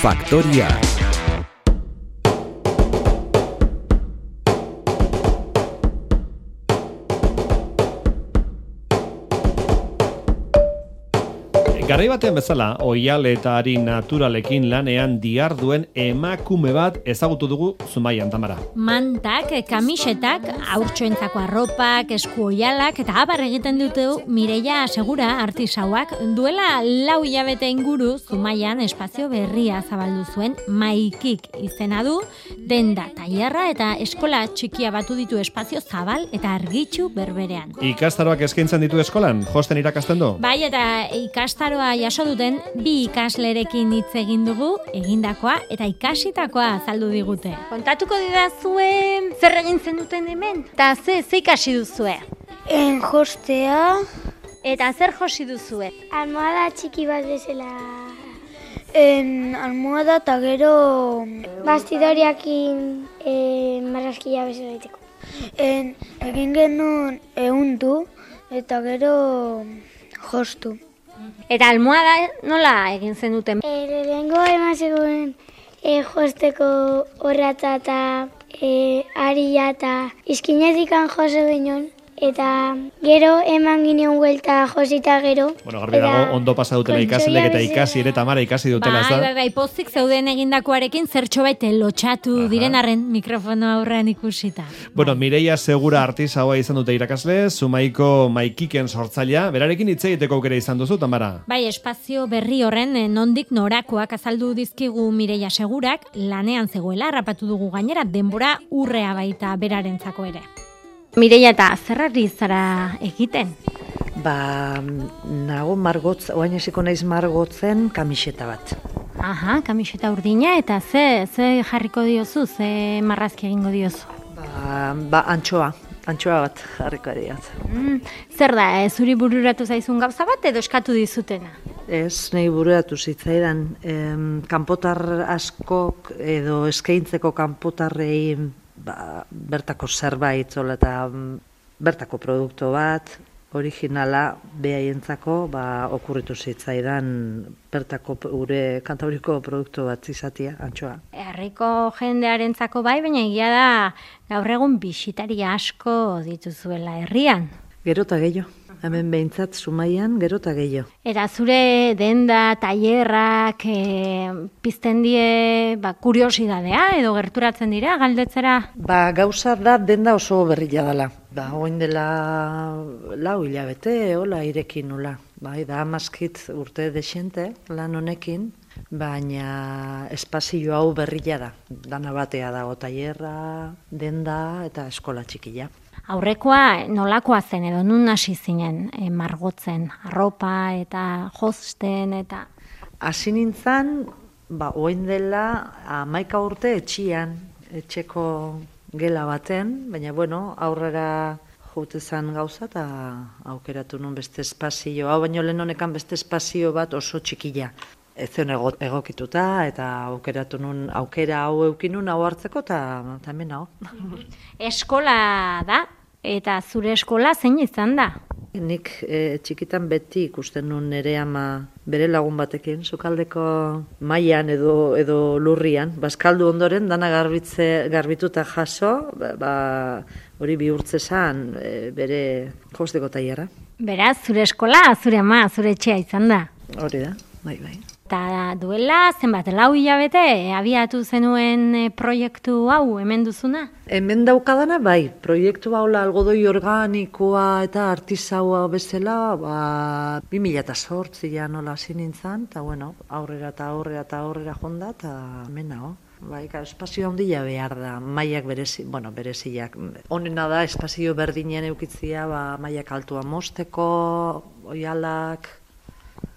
Faktoria. Garai batean bezala, oihal eta ari naturalekin lanean diharduen emakume bat ezagutu dugu Zumaian, Tamara. Mantak, kamisetak, haurtxoentzako arropak, esku oihalak eta abar egiten dute Mireia Segura artisauak duela 4 hilabete inguru Zumaian espazio berria zabaldu zuen Maikik izena du, denda, tailerra eta eskola txikia batu ditu espazio zabal eta argitsu berberean. Ikastaroak eskaintzen ditu eskolan, josten irakasten du? Bai, eta ikastaroa jaso duten 2 ikaslerekin hitz egin dugu, egindakoa eta ikasitakoa azaldu digute. Kontatuko didazue zer egin zenuten hemen? Eta ze ikasi duzue? Jostea. Eta zer josi duzue? Almohada txiki bat bezala. Almohada eta gero bastidoriakin marrazkia bezala egiteko. Egin genuen ehundu eta gero jostu. Eta almohada nola egin zenuten? Lehenengo eman zegoen josteko horratza eta aria eta izkinetikan jose ginen. Eta gero eman ginen huelta josita gero. Bueno, garbi dago, ondo pasa dutela ikasleek eta ikasi ere Tamara ikasi dutela, ez da? Bai, pozik zeuden egindakoarekin zertxobait lotxatu diren arren mikrofono aurrean ikusita. Bueno, Mireia Segura artisaua izan dute irakasle, Zumaiko Maikiken sortzailea, berarekin hitz egiteko aukera izan duzu, Tamara? Bai, espazio berri horren nondik norakoak azaldu dizkigu Mireia Segurak, lanean zegoela harrapatu dugu gainera, denbora urrea baita berarentzako ere. Mireia, eta zerrari zara egiten? Nago margotz, oain esiko naiz margotzen kamiseta bat. Aha, kamiseta urdina, eta ze jarriko diozu, ze marrazki egingo diozu? Antxoa bat jarriko diot. Zer da, zuri bururatu zaizun gauza bat edo eskatu dizutena? Ez, nahi bururatu zitzaidan, kanpotar askok edo eskaintzeko kanpotarrei bertako zerbait eta bertako produktu bat, originala behaientzako okurritu zitzaidan bertako gure Kantabriko produktu bat izatea, antxoa. Herriko jendearentzako bai, baina egia da gaur egun bisitari asko dituzuela herrian. Gero eta gehiago. Hemen behintzat Zumaian gero eta gehiago. Eta zure denda, tailerrak pizten die kuriosidadea edo gerturatzen dira galdetzera? Gauza da denda oso berria dela. Oin dela 4 hilabete, hola irekin nula. Da amazkit urte desente lan honekin, baina espazio hau berria da. Dana batea dago tailerra, denda eta eskola txikia. Aurrekoa nolakoa zen edo nun hasi zinen margotzen, arropa eta josten eta... Hasi nintzen, oin dela 11 urte etxeko gela baten, baina aurrera jote zen gauza eta aukeratu nun beste espazio, hau baino lehen honekan beste espazio bat oso txikila. Ez zen egokituta eta aukeratu nun, aukera hau eukinun hau hartzeko eta hemen hau. Eskola da, eta zure eskola zein izan da? Nik txikitan beti ikusten nun nire ama bere lagun batekin, sukaldeko mailan edo lurrian, baskaldu ondoren dana garbituta jaso, hori bihurtze zan bere josteko tailerra. Beraz, zure eskola, zure ama, zure etxea izan da? Hori da, bai. Eta duela, zenbat, 4 hilabete, abiatu zenuen proiektu hau, hemen duzuna? Hemen daukadana, bai, proiektu hau algodoi organikoa eta artisaua bezala, 2008 nola hasi nintzen, eta aurrera jonda, eta hemen hau. Espazio handia behar da, mailak bereziak. Honena da, espazio berdinen eukitzia, mailak altua mozteko, oihalak.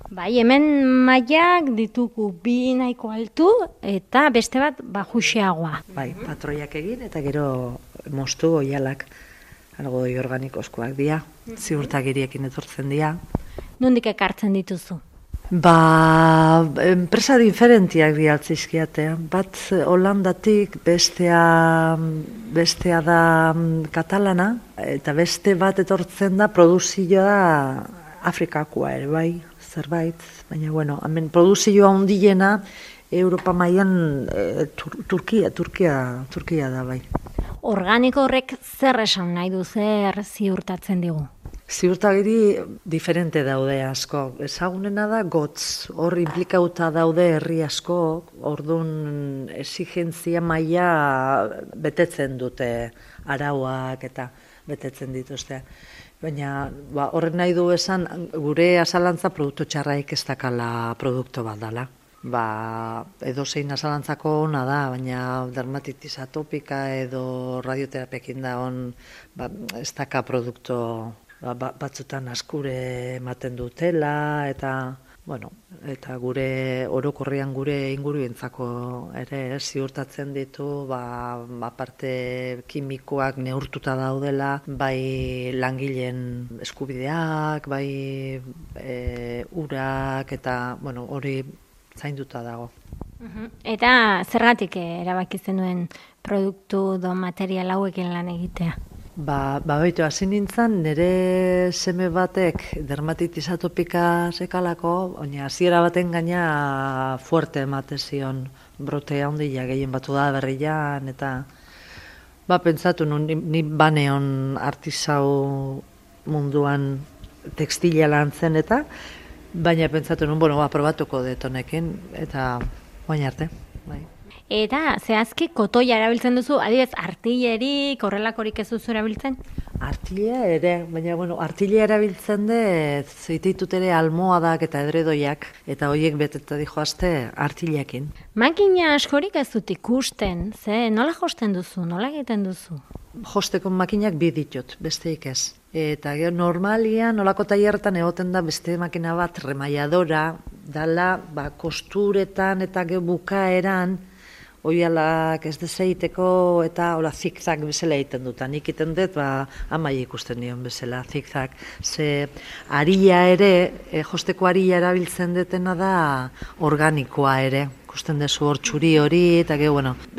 Bai, hemen mailak ditugu 2 nahiko altu eta beste bat baxuxeagoa. Bai, patroiak egin eta gero moztu oihalak algodoi organikoskoak dira, ziurtagiriekin etortzen dira. Nondik ekartzen dituzu? Enpresa diferentiak dialtzizkiate. Bat Holandatik, bestea da katalana, eta beste bat etortzen da produzioa Afrikakoa ere, bai, zerbait. Baina, hemen produzioa handiena Europa mailan Turkia da bai. Organiko horrek zer esan nahi du, zer ziurtatzen digu? Ziurtagiri diferente daude asko. Ezagunena da gotz, hor implikauta daude herri asko, orduan exigentzia maila betetzen dute arauak eta betetzen dituzte. Baina horrek nahi du esan gure azalantza produktu txarraik ez dakala produktu bat dela. Edozein azalantzako ona da, baina dermatitis atopika edo radioterapekin da ez daka produktu batzutan askure ematen dutela eta gure orokorrean gure inguruentzako ere ziurtatzen ditu parte kimikoak neurtuta daudela, bai langileen eskubideak, bai urak eta hori zainduta dago. Eta zergatik erabaki zenuen produktu do material hauekin lan egitea? Baitu, hasi nintzen, nire seme batek dermatitis atopika sekalako, baina hasiera baten gaina fuerte emate zion brote handia gehien batu da berrian, eta pentsatu nun, ni baneon artisau munduan tekstila lan zen eta, baina pentsatu nun, probatuko detonekin, eta oain arte, bai. Eta zehazki kotoia erabiltzen duzu, adibidez artillerik, horrelakorik ez duzu erabiltzen? Artillea ere, baina artillea erabiltzen zeititut ere almohadak eta edredoiak, eta horiek beteta dijoazte artilleekin. Makina askorik ez dut ikusten, nola josten duzu, nola egiten duzu? Josteko makinak bi ditut, besteik ez. Eta normalian, nolako tailerretan egoten da beste makina bat remaiadora, dala kosturetan eta bukaeran, oialak ez dezeiteko eta zigzag bezala egiten dut. Nik iten dut, amai ikusten nion bezala, zigzag. Ze aria ere, josteko aria erabiltzen detena da organikoa ere. Ikusten dezu hor txuri hori, eta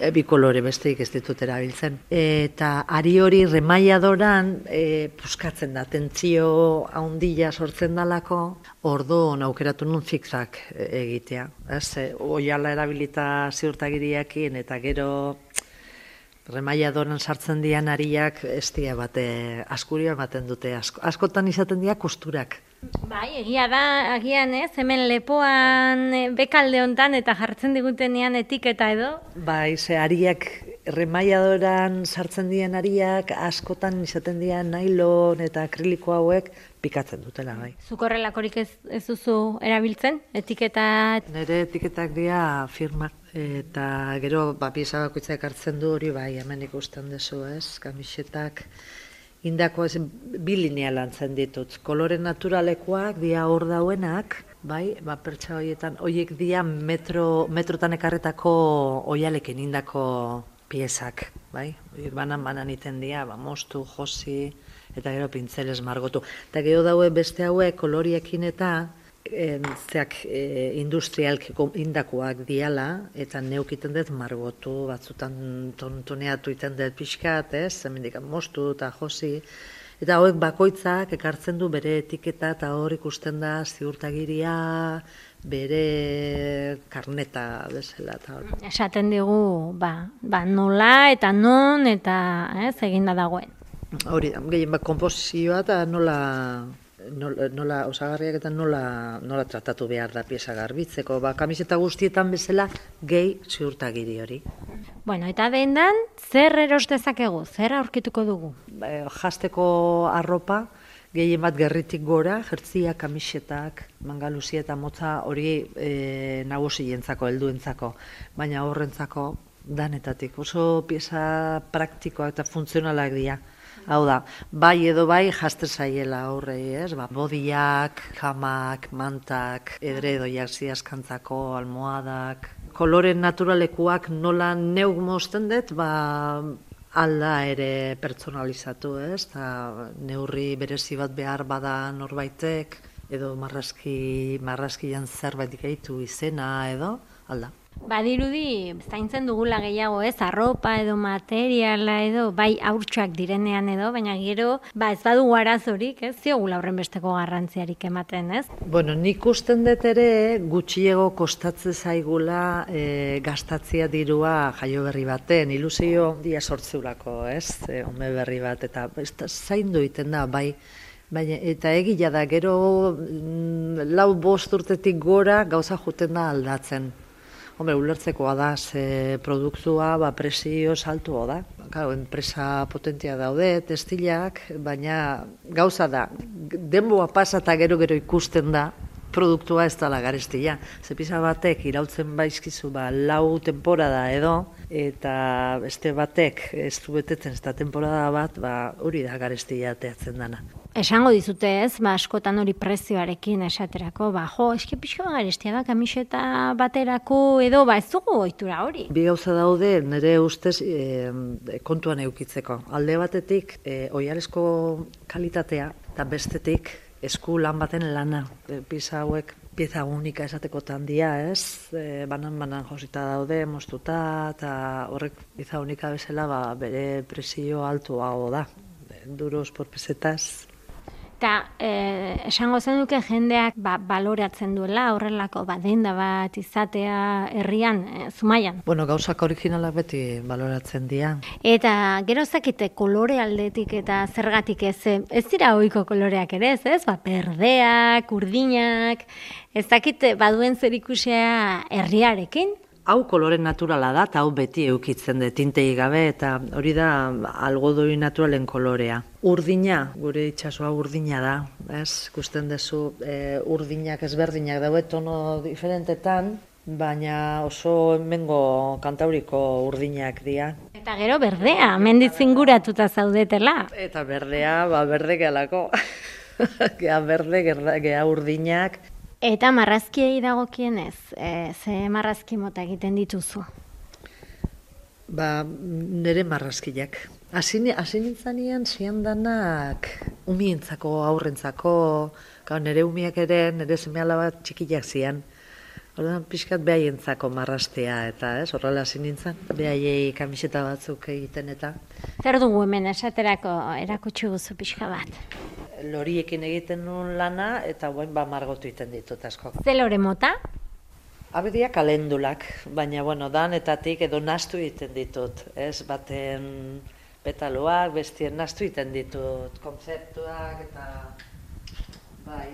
bi kolore besteik ez ditut erabiltzen. Eta ari hori remaiadoran puskatzen da, tentzio handia sortzen dalako, orduan aukeratu nun zigzag egitea. Oiala erabilita ziurtagiriakin, eta gero remaiadoran sartzen dian ariak ez dira bate askuria ematen dute. Askotan izaten dira kosturak. Bai, egia da, agian hemen lepoan bekalde hontan eta jartzen digutenean etiketa edo? Bai, ariak, remaiadoran sartzen dian ariak, askotan izaten dian nailon eta akriliko hauek pikatzen dutela, bai. Zuk horrelakorik ez duzu erabiltzen, etiketa? Nire etiketak dira firma, eta gero pieza bakoitzak hartzen du hori, bai, hemen ikusten dezu, kamisetak, indako bi linea lantzen ditut. Kolore naturalekoak dia hor dauenak, bai, pertsa horietan, horiek dia metrotan ekarretako oialekin indako piezak, bai. Horiek banan iten dia, moztu, josi, eta gero pintzelez margotu. Eta gero daue beste hauek koloriekin eta industrialkiko indakoak diala, eta neukiten dut margotu, batzutan tontoneatu iten dut pixkat, hemendik moztu eta josi, eta hauek bakoitzak ekartzen du bere etiketa eta hor ikusten da ziurtagiria, bere karneta bezala. Esaten digu, nola eta non eta eginda dagoen. Hori, gehien konposizioa eta nola osagarriak eta nola tratatu behar da pieza garbitzeko. Kamiseta guztietan bezala gehi ziurtagiri hori. Eta dendan, zer eros dezakegu? Zer aurkituko dugu? Jasteko arropa, gehien bat gerritik gora, jertziak, kamisetak, mangaluzia eta motza hori nagusientzako, helduentzako, baina horrentzako danetatik. Oso pieza praktikoak eta funtzionalak dira. Hau da, bai edo bai jazte zaiela horrei, bodiak, jamak, mantak, edredoiak ziaskantzako, almohadak. Kolore naturalekuak nola neuk mozten dut, alda ere pertsonalizatu, neurri berezi bat behar bada norbaitek, edo marraskian zerbait gehitu izena edo, alda. Badirudi, zaintzen dugula gehiago ez, arropa edo materiala edo, bai haurtxoak direnean edo, baina gero, ez badugu arazorik, ez, ziogula horren besteko garrantziarik ematen, ez? Bueno, nik usten dut ere gutxiego kostatzen zaigula gastatzea dirua jaio berri baten, ilusio dia sortzeurako, ez, ume berri bat, eta zaindu egiten da, bai, baina, eta egia da, gero 4-5 urtetik gora gauza juten da aldatzen. Hombre, ulertzekoa da, ze produktua presio saltua da. Claro, enpresa potentia daude, textilak, baina gauza da, denboa pasa eta gero ikusten da, produktua ez dela garestia. Ze pisa batek irautzen baizkizu 4 temporada edo, eta beste batek ez du betetzen ez da temporada bat, hori da garestia ateatzen dana. Esango dizute ez, askotan hori prezioarekin esaterako, eske pixko garestia da kamiseta baterako edo, ez dugu ohitura hori. Bi gauza daude nire ustez kontuan eukitzeko. Alde batetik, oihalezko kalitatea, eta bestetik, esku lan baten lana. Pieza hauek pieza unika esateko tandia, ez? Banan josita daude, moztuta, eta horrek pieza unika bezala bere presio altuago da. Duros por pesetas. Eta esango zenuke jendeak baloratzen duela horrelako denda bat izatea herrian, Zumaian. Bueno, gauzak originalak beti baloratzen dira. Eta gero zakite kolore aldetik eta zergatik ez dira ohiko koloreak ere ez? Perdeak, urdinak, ez dakite baduen zerikusia herriarekin? Hau kolore naturala da, eta hau beti eukitzen dut, tintei gabe, eta hori da algodoi naturalen kolorea. Urdina, gure itsasoa urdina da, ez? Ikusten duzu urdinak ezberdinak daude tono diferentetan, baina oso hemengo Kantauriko urdinak dira. Eta gero berdea, menditzen guratuta zaudetela. Eta berdea, berde gehalako. Gea berde, gea urdinak. Eta marrazkiei dagokienez, ze marrazki mota egiten dituzu? Nire marrazkiak. Hasi nintzanean zian danak umientzako, aurrentzako, nire umiak ere, nire seme-alaba txikiak zian. Orduan pixkat behaientzako marraztea, eta horrela hasi nintzen, behaiei kamiseta batzuk egiten eta. Zer dugu hemen esaterako erakutsi guzu pixka bat? Loriekin egiten nuen lana, eta guen margotu egiten ditut asko. Ze lore mota? Abedia kalendulak, baina danetatik edo nahastu egiten ditut, ez? Baten petaloak, bestien nahastu egiten ditut, kontzeptuak eta bai.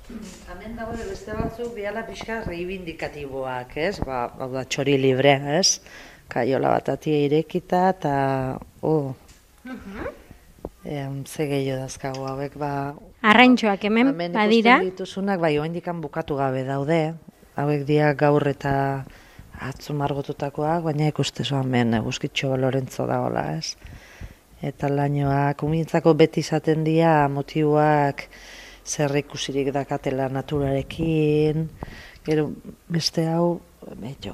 Hemen dago beste batzuk biala pixka reivindikatiboak, ez? Hau da txori libre, ez? Kaiola bat atia irekita eta ze gehiago dazkagu hauek, Arraintxoak hemen badira? Hemen ikusten dituzunak, oendikan bukatu gabe daude. Hauek dia gaur eta atzo margotutakoak, baina ikustezu hemen eguzkitxo Lorentzo dagoela, ez? Eta lainoak, umintzako beti izaten dira motiboak zer ikusirik dakatela naturarekin. Gero beste hau,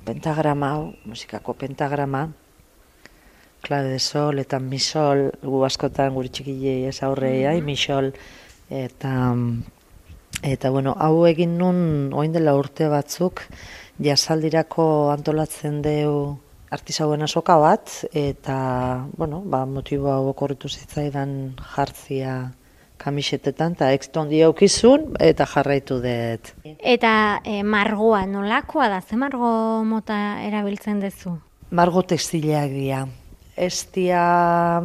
pentagrama hau, musikako pentagrama, clave de sol eta mi sol, gu askotan guri txikilei ez aurrei, mi sol, eta hau egin nun orain dela urte batzuk, jasaldirako antolatzen deu artisauen azoka bat, eta, motibo hau okorritu zitzaidan jartzia kamisetetan, eta ekstondi aukizun, eta jarraitu dut. Eta margoa nolakoa da, ze margo mota erabiltzen duzu? Margo textileak dira. Ez dira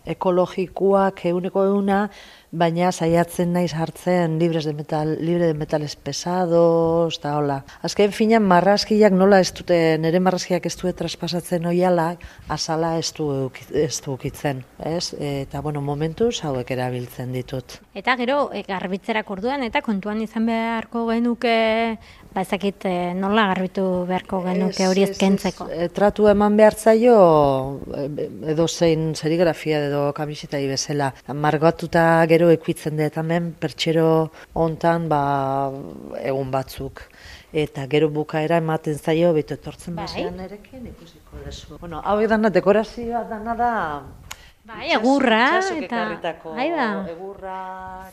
ekologikoak eguneko eguna, baina saiatzen naiz hartzen libre de metales pesados, eta hola. Azken finan marrazkiak nola ez dute, nire marrazkiak ez dute traspasatzen oiala, azala ez du ukitzen, ez? Eta, momentuz hauek erabiltzen ditut. Eta gero, garbitzerak orduan, eta kontuan izan beharko genuke, ezakit nola garbitu beharko genuke hori ezkentzeko. Tratu eman behar zaio, edo zein serigrafia edo kamisetai bezala. Margatuta gero ekuitzen dut hemen pertsero hontan egun batzuk. Eta gero bukaera ematen zaio, beto etortzen basean erekin ikusiko dezu. Hauek dana dekorazioa dana da Bai, egurra, Itxasok eta... ekarritako egurra...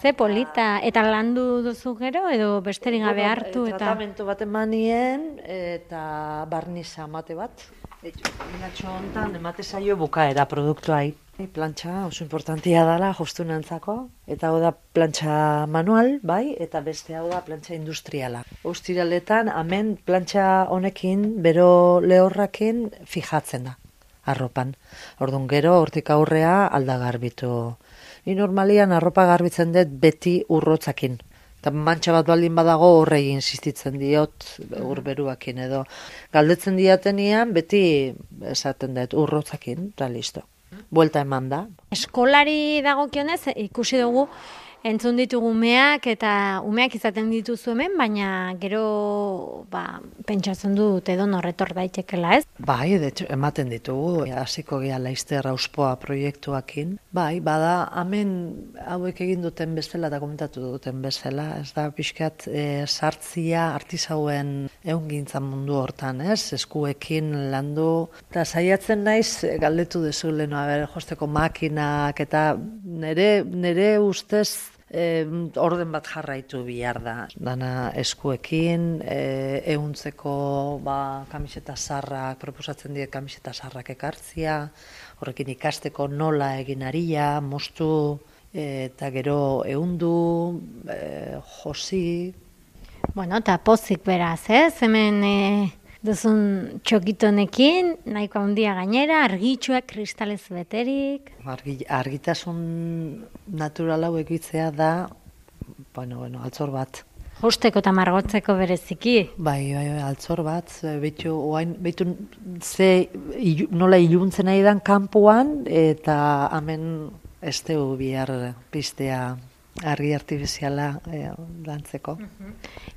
Ze polita, eta landu duzu gero, edo besterik gabe hartu, eta... Tratamentu bat emanien, eta barniza emate bat. Minatxo honetan emate zaio bukaera produktuai. Plantxa oso importantia dela jostunantzako, eta hau da plantxa manual, bai, eta beste hau da plantxa industriala. Ostiraletan, hemen plantxa honekin, bero lehorrakin fijatzen da, arropan. Orduan gero, hortik aurrea aldagarbitu. Ni normalian arropa garbitzen dut beti urrotzakin. Eta mantxa bat baldin badago horrei insistitzen diot urberuakin edo. Galdetzen diatenian beti esaten dut urrotzakin, eta listo. Buelta eman da. Eskolari dagokionez ikusi dugu entzun ditugu umeak eta umeak izaten dituzu hemen, baina gero pentsatzen dut edo norretor daitekela, ez? Bai, de hecho, ematen ditugu, hasiko gea Laizter Auspoa proiektuakin. Bai, bada, hemen hauek egin duten bezala eta komentatu duten bezala, ez da pixkat sartzia artisauen ehungintza mundu hortan, ez? Eskuekin landu, eta saiatzen naiz galdetu dezu leno, josteko makinak, eta nere ustez orden bat jarraitu bihar da. Dana eskuekin, ehuntzeko kamiseta sarrak, proposatzen diet kamiseta sarrak ekartzia, horrekin ikasteko nola egin aria, moztu, eta gero ehundu, josi. Bueno, eta pozik beraz, ez? Hemen duzun txokitonekin, nahiko handia gainera, argitxuak kristalez beterik. Argitasun natural hau egitzea da, altzor bat. Josteko eta margotzeko bereziki. Bai, altzor bat, behitu nola iluntzen nahi dan kanpoan, eta hemen ez dugu bihar piztea argi artifiziala lantzeko.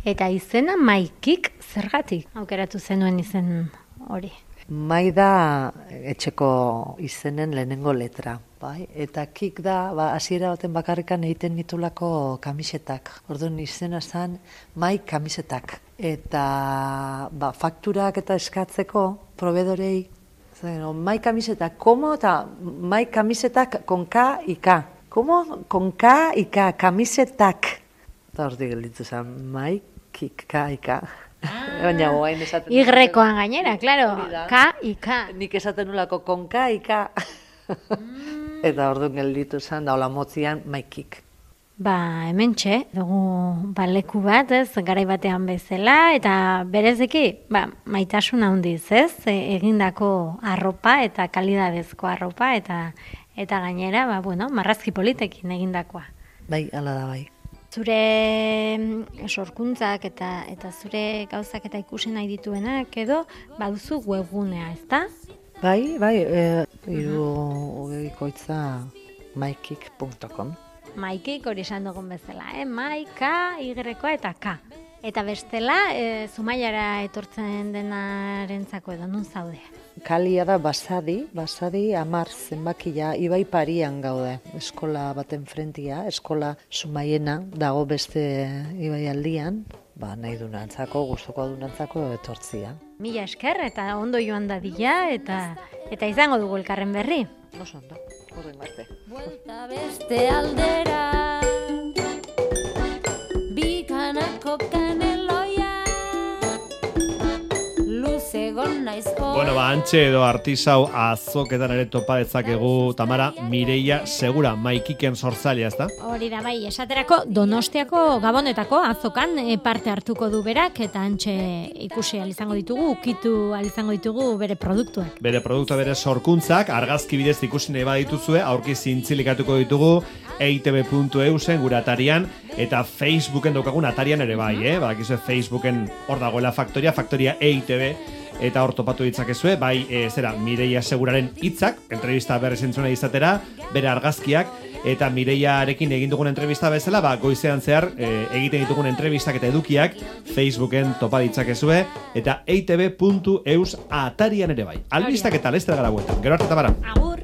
Eta izena Maikik zergatik aukeratu zenuen izen hori? Mai da etxeko izenen lehenengo letra, bai? Eta kik da, hasiera baten bakarrikan egiten nitulako kamisetak. Orduan izena zen Mai kamisetak. Eta fakturak eta eskatzeko proveedorei, Mai kamisetak, komo eta Mai kamisetak con K y K. Como con K y K, kamisetak. Eta hortik gelditu zen, Mai, kik, K y K. Baina guain esaten... Y-koan gainera, claro, K y K. Nik esaten nulako con K y K. Eta orduan gelditu zen, da hola motzian, Mai, kik. Hementxe, dugu leku bat, ez, garai batean bezala, eta bereziki, maitasun handiz, ez, egindako arropa eta kalidadezko arropa, eta gainera, marrazki politekin egindakoa. Bai, hala da bai. Zure sorkuntzak eta zure gauzak eta ikusi nahi dituenak edo baduzu webgunea, ezta? Bai, irudikoitza maikik.com. Maikik hori esan dugun bezala, Mai, K, Y-koa eta K. Eta bestela, Zumaiara etortzen denarentzako edo nun zaude? Kalia da Basadi 10 zenbakia, Ibai Parian gaude, eskola baten frentia, eskola Zumaiena, dago beste Ibai aldian, nahi dunantzako, gustuko dunantzako etortzia. Mila esker eta ondo joan dadila eta izango dugu elkarren berri. Oso ondo, horren arte. Buelta beste aldera, bikanako kaneloia, luze gon naizko. Bueno, antxe edo artisau azoketan ere topa dezakegu, Tamara, Mireia Segura, Maikiken sortzailea, ezta? Hori da bai, esaterako Donostiako Gabonetako azokan parte hartuko du berak, eta antxe ikusi izango ditugu, ukitu izango ditugu bere produktuak. Bere produktua, bere sorkuntzak, argazki bidez ikusi nahi badituzue, aurki zintzilikatuko ditugu eitb.eusen gure atarian, eta Facebooken daukagun atarian ere bai, badakizue Facebooken hor dagoela faktoria EITB, eta hor topatu ditzakezue, bai, Mireia Seguraren hitzak, entrevista berriz entzuna izatera, bere argazkiak, eta Mireiarekin egin dugun entrevista bezala, goizean zehar egiten ditugun entrevistak eta edukiak Facebooken topa ditzakezue, eta eitb.eus atarian ere bai. Albistak eta lester gara bueltan. Gero arte, Tamara. Agur!